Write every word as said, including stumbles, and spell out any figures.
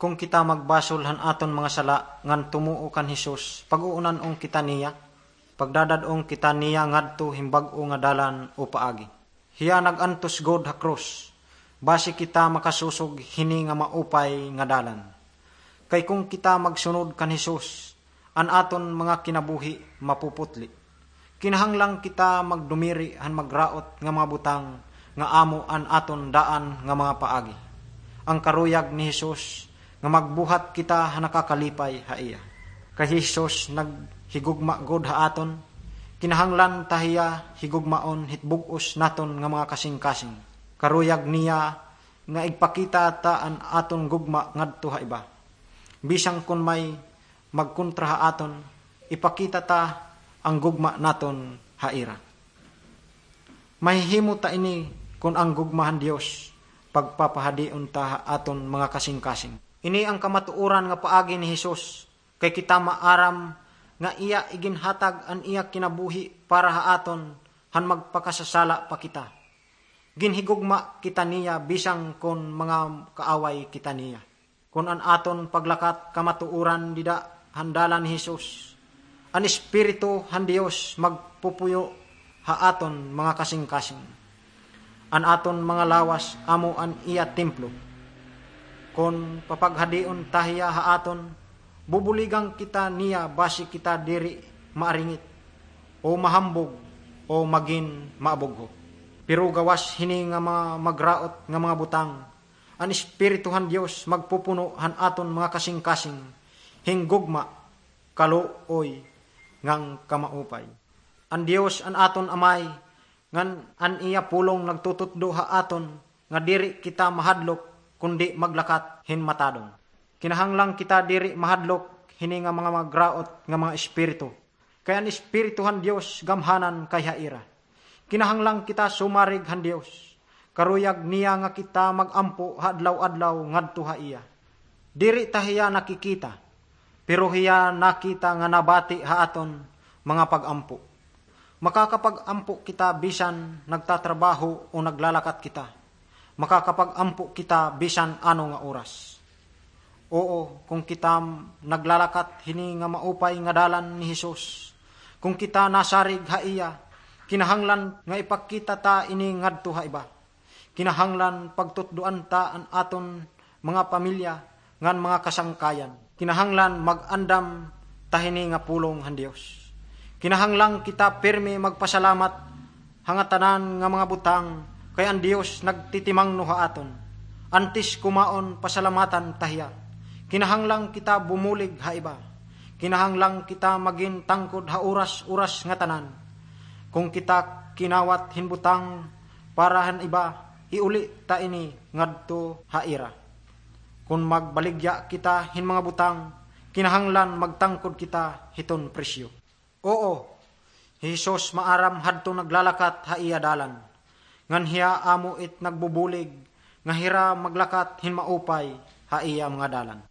Kon kita magbasol han aton mga sala ngan tumuo kan Jesus, pag-uunan-on kita niya, pagdadad-on kita niya ngadto hin bag-o nga dalan o paagi. Hiya nag-antos gud ha krus, basi kita makasusog hini nga maupay nga dalan. Kay kon kita magsunod kan Jesus, an aton mga kinabuhi mapuputli. Kinahanglan kita magdumiri han magraot nga mga butang nga amo an aton daan nga mga paagi. An karuyag ni Jesus nga magbuhat kita ha nakakalipay ha iya. Kay hi Jesus naghigugma gud ha aton, kinahanglan ta hiya higugmaon hit bug-os naton nga mga kasingkasing. Karuyag niya nga igpakita ta an aton gugma ngadto ha iba. Bisan kon may magkontra ha aton, ipakita ta an gugma naton ha ira. Mahihimo ta ini kon an gugma han Dios pagpapahadion ta ha aton mga kasingkasing. Ini an kamatuoran nga paagi ni Jesus, kay kita maaram nga iya iginhatag an iya kinabuhi para ha aton han magpakasasala pa kita. Ginhigugma kita niya bisan kon mga kaaway kita niya. Kon an aton paglakat kamatuoran dida han dalan ni Jesus, an Espiritu han Dios magpupuyo ha aton mga kasingkasing. An aton mga lawas amo an iya templo. Kon papaghadion ta hiya ha aton, bubuligan kita niya basi kita diri maaringit, o mahambog, o magin maabugho. Pero gawas hini nga mga magraot nga mga butang, an Espiritu han Dios magpupuno han aton mga kasingkasing hin gugma, kaluoy, ngan kamaupay. An Dios an aton Amay, ngan an iya pulong nagtututdo ha aton nga diri kita mahadlok kundi maglakat hin matadong. Kinahanglan kita diri mahadlok hini nga mga magraot nga mga espiritu. Kay an Espiritu han Dios gamhanan kay ha ira. Kinahanglan kita sumarig han Dios. Karuyag niya nga kita mag-ampo ha adlaw-adlaw ngadto ha iya. Diri ta hiya nakikita, pero hiya nakita nga nabati ha aton mga pag-ampo. Makakapag-ampo kita bisan nagtatrabaho o naglalakat kita. Makakapag-ampo kita bisan ano nga oras. Oo, kon kita naglalakat hini nga maupay nga dalan ni Jesus, kon kita nasarig ha iya, kinahanglan nga ipakita ta ini ngadto ha iba. Kinahanglan pagtutdoan ta an aton mga pamilya ngan mga kasangkayan. Kinahanglan mag-andam ta hini nga pulong han Dios. Kinahanglan kita pirme magpasalamat ha ngatanan nga mga butang, kay an Dios nagtitimangno ha aton. Antes kumaon, pasalamatan ta hiya. Kinahanglan kita bumulig ha iba. Kinahanglan kita magin tangkod ha oras-oras ngatanan. Kon kita kinawat hin butang para han iba, iuli ta ini ngadto ha ira. Kon magbaligya kita hin mga butang, kinahanglan magtangkod kita hiton presyo. Oo, hi Jesus maaram hadton naglalakat ha iya dalan. Ngan hiya amo it nagbubulig nga hira maglakat hin maupay ha iya mga dalan.